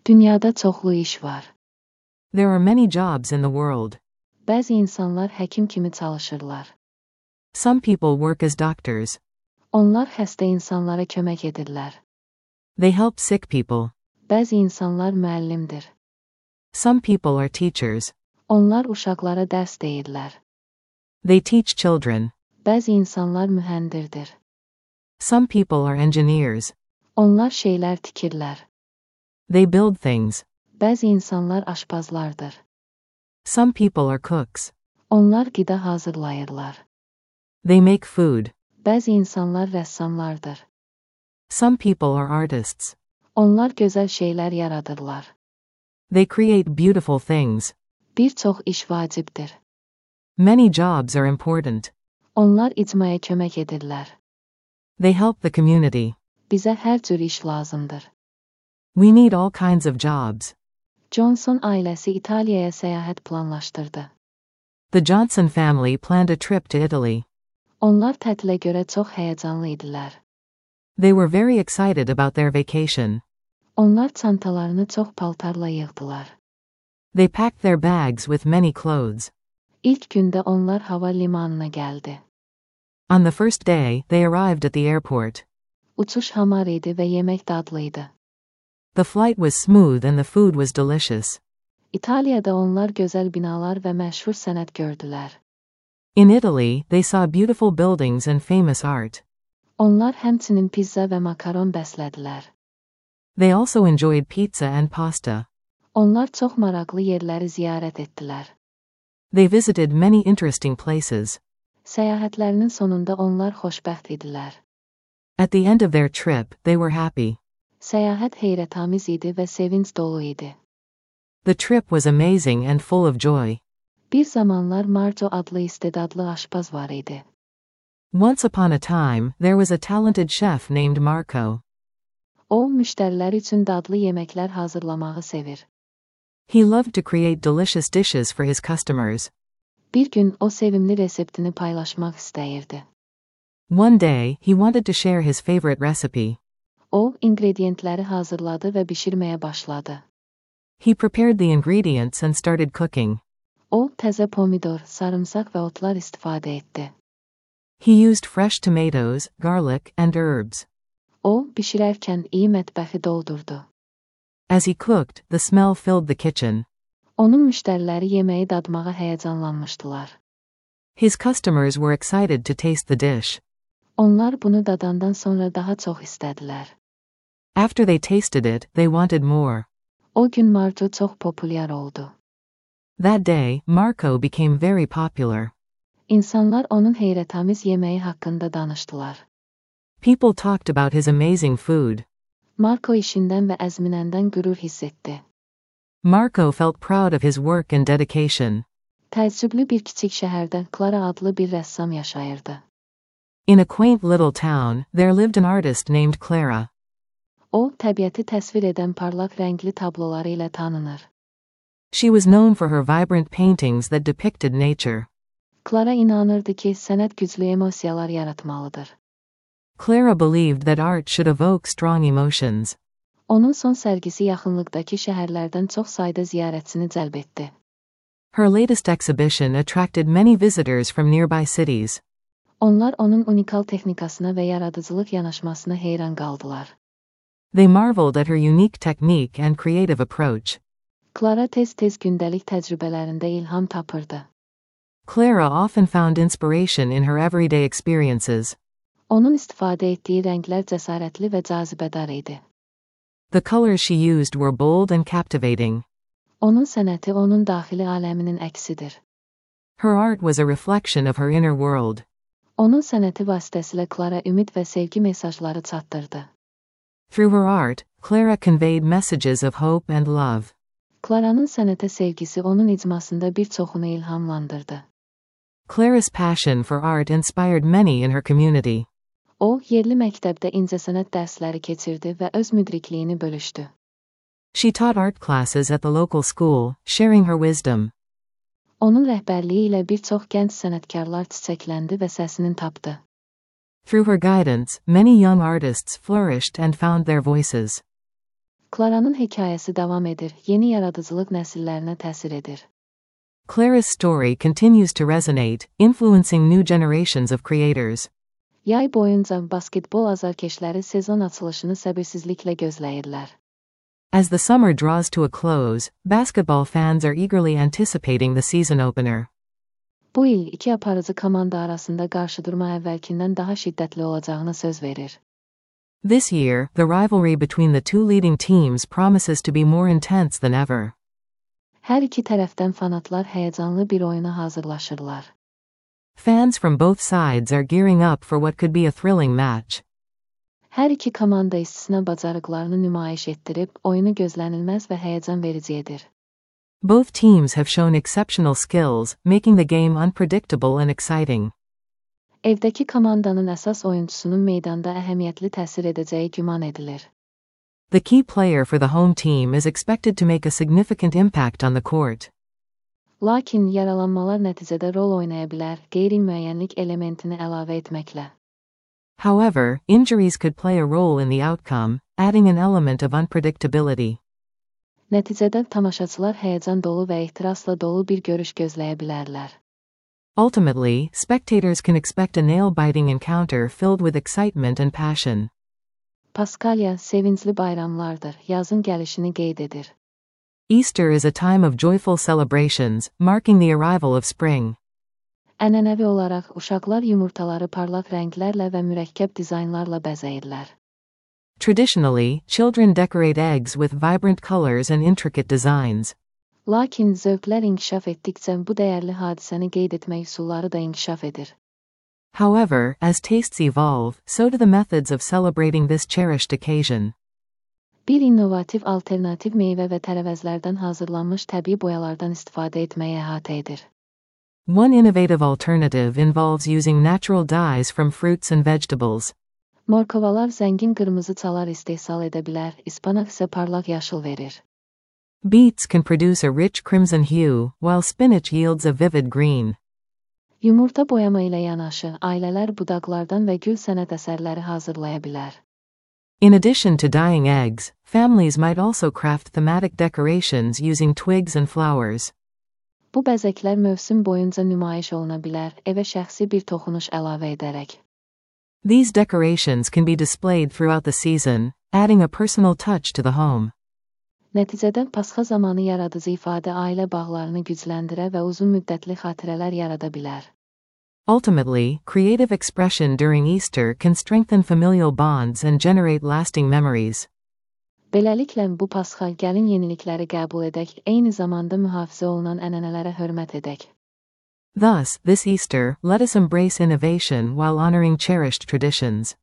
Dünyada çoxlu iş var. There are many jobs in the world. Bəzi insanlar həkim kimi çalışırlar. Some people work as doctors. Onlar xəstə insanlara kömək edirlər. They help sick people. Bəzi insanlar müəllimdir. Some people are teachers. Onlar uşaqlara dərs deyirlər. They teach children. Bəzi insanlar mühəndirdir. Some people are engineers. Onlar şeylər tikirlər. They build things. Bəzi insanlar aşpazlardır. Some people are cooks. Onlar qida hazırlayırlar. They make food. Bəzi insanlar rəssamlardır. Some people are artists. Onlar gözəl şeylər yaradırlar. They create beautiful things. Bir çox iş vacibdir. Many jobs are important. Onlar icmaya kömək edirlər. They help the community. Bizə hər cür iş lazımdır. We need all kinds of jobs. Johnson ailəsi İtaliyaya səyahət planlaşdırdı. The Johnson family planned a trip to Italy. Onlar tətilə görə çox həyəcanlı idilər. They were very excited about their vacation. Onlar çantalarını çox paltarla yığdılar. They packed their bags with many clothes. İlk gündə onlar hava limanına gəldi. On the first day, they arrived at the airport. Uçuş hamar idi və yemək dadlı idi. The flight was smooth and the food was delicious. İtaliyada onlar gözəl binalar və məşhur sənət gördülər. In Italy, they saw beautiful buildings and famous art. Onlar həmçinin pizza və makaron bəslədilər. They also enjoyed pizza and pasta. Onlar çox maraqlı yerləri ziyarət etdilər. They visited many interesting places. Səyahətlərinin sonunda onlar xoşbəxt idilər. At the end of their trip, they were happy. Səyahət heyrətamiz idi və sevinc dolu idi. The trip was amazing and full of joy. Bir zamanlar Marco adlı istedadlı aşpaz var idi. Once upon a time, there was a talented chef named Marco. O, müştərilər üçün dadlı yeməklər hazırlamağı sevir. He loved to create delicious dishes for his customers. Bir gün o sevimli reseptini paylaşmaq istəyirdi. One day, he wanted to share his favorite recipe. O, ingredientləri hazırladı və bişirməyə başladı. He prepared the ingredients and started cooking. O, təzə pomidor, sarımsaq və otlar istifadə etdi. He used fresh tomatoes, garlic, and herbs. O, bişirərkən iyi mətbəxi doldurdu. As he cooked, the smell filled the kitchen. Onun müştəriləri yeməyi dadmağa həyəcanlanmışdılar. His customers were excited to taste the dish. Onlar bunu dadandan sonra daha çox istədilər. After they tasted it, they wanted more. O gün Marco çox populyar oldu. That day, Marco became very popular. İnsanlar onun heyrətamiz yeməyi haqqında danışdılar. People talked about his amazing food. Marco işindən və əzminəndən qürur hiss etdi. Marco felt proud of his work and dedication. Təəccüblü bir kiçik şəhərdə Clara adlı bir rəssam yaşayırdı. In a quaint little town, there lived an artist named Clara. O, təbiəti təsvir edən parlaq rəngli tabloları ilə tanınır. She was known for her vibrant paintings that depicted nature. Clara inanırdı ki, sənət güclü emosiyalar yaratmalıdır. Clara believed that art should evoke strong emotions. Onun son sərgisi yaxınlıqdakı şəhərlərdən çox sayda ziyarətçini cəlb etdi. Her latest exhibition attracted many visitors from nearby cities. Onlar onun unikal texnikasına və yaradıcılıq yanaşmasına heyran qaldılar. They marveled at her unique technique and creative approach. Clara tez-tez gündəlik təcrübələrində ilham tapırdı. Clara often found inspiration in her everyday experiences. Onun istifadə etdiyi rənglər cəsarətli və cazibədar idi. The colors she used were bold and captivating. Onun sənəti onun daxili aləminin əksidir. Her art was a reflection of her inner world. Onun sənəti vasitəsilə Clara ümid və sevgi mesajları çatdırdı. Through her art, Clara conveyed messages of hope and love. Clara'nın sənətə sevgisi onun icmasında bir çoxunu ilhamlandırdı. Clara's passion for art inspired many in her community. O, yerli məktəbdə incəsənət dərsləri keçirdi və öz müdrikliyini bölüşdü. She taught art classes at the local school, sharing her wisdom. Onun rəhbərliyi ilə bir çox gənc sənətkarlar çiçəkləndi və səsini tapdı. Through her guidance, many young artists flourished and found their voices. Clara'nın hekayəsi davam edir, yeni yaradıcılıq nəsillərinə təsir edir. Clara's story continues to resonate, influencing new generations of creators. Yay boyunca basketbol azarkeşləri sezon açılışını səbirsizliklə gözləyirlər. As the summer draws to a close, basketball fans are eagerly anticipating the season opener. Bu il iki aparıcı komanda arasında qarşıdurma əvvəlkindən daha şiddətli olacağına söz verir. This year, the rivalry between the two leading teams promises to be more intense than ever. Hər iki tərəfdən fanatlar həyəcanlı bir oyuna hazırlaşırlar. Fans from both sides are gearing up for what could be a thrilling match. Hər iki komanda istisna bacarıqlarını nümayiş etdirib, oyunu gözlənilməz və həyəcan verici edir. Both teams have shown exceptional skills, making the game unpredictable and exciting. Evdəki komandanın əsas oyuncusunun meydanda əhəmiyyətli təsir edəcəyi güman edilir. The key player for the home team is expected to make a significant impact on the court. Lakin yaralanmalar nəticədə rol oynaya bilər, qeyri-müəyyənlik elementini əlavə etməklə. However, injuries could play a role in the outcome, adding an element of unpredictability. Nəticədə tamaşaçılar həyəcan dolu və ehtirasla dolu bir görüş gözləyə bilərlər. Ultimately, spectators can expect a nail-biting encounter filled with excitement and passion. Paskalya sevincli bayramlardır, yazın gəlişini qeyd edir. Easter is a time of joyful celebrations, marking the arrival of spring. Ənənəvi olaraq uşaqlar yumurtaları parlaq rənglərlə və mürəkkəb dizaynlarla bəzəyirlər. Traditionally, children decorate eggs with vibrant colors and intricate designs. Lakin zövqlər inkişaf etdikcə bu dəyərli hadisəni qeyd etmək üsulları da inkişaf edir. However, as tastes evolve, so do the methods of celebrating this cherished occasion. Bir innovativ alternativ meyvə və tərəvəzlərdən hazırlanmış təbii boyalardan istifadə etməyə əhatə edir. One innovative alternative involves using natural dyes from fruits and vegetables. Morkovalar zəngin qırmızı çalar istehsal edə bilər, ispanaq isə parlaq yaşıl verir. Beets can produce a rich crimson hue, while spinach yields a vivid green. Yumurta boyama ilə yanaşı, ailələr budaqlardan və gül sənət əsərləri hazırlaya bilər. In addition to dyeing eggs, families might also craft thematic decorations using twigs and flowers. Bu bəzəklər mövsüm boyunca nümayiş oluna bilər, evə şəxsi bir toxunuş əlavə edərək. These decorations can be displayed throughout the season, adding a personal touch to the home. Nəticədə pasxa zamanı yaradıcı ifadə ailə bağlarını gücləndirə və uzun müddətli xatirələr yarada bilər. Ultimately, creative expression during Easter can strengthen familial bonds and generate lasting memories. Beləliklə bu pasxa gəlin yenilikləri qəbul edək, eyni zamanda mühafizə olunan ənənələrə hörmət edək. Thus, this Easter, let us embrace innovation while honoring cherished traditions.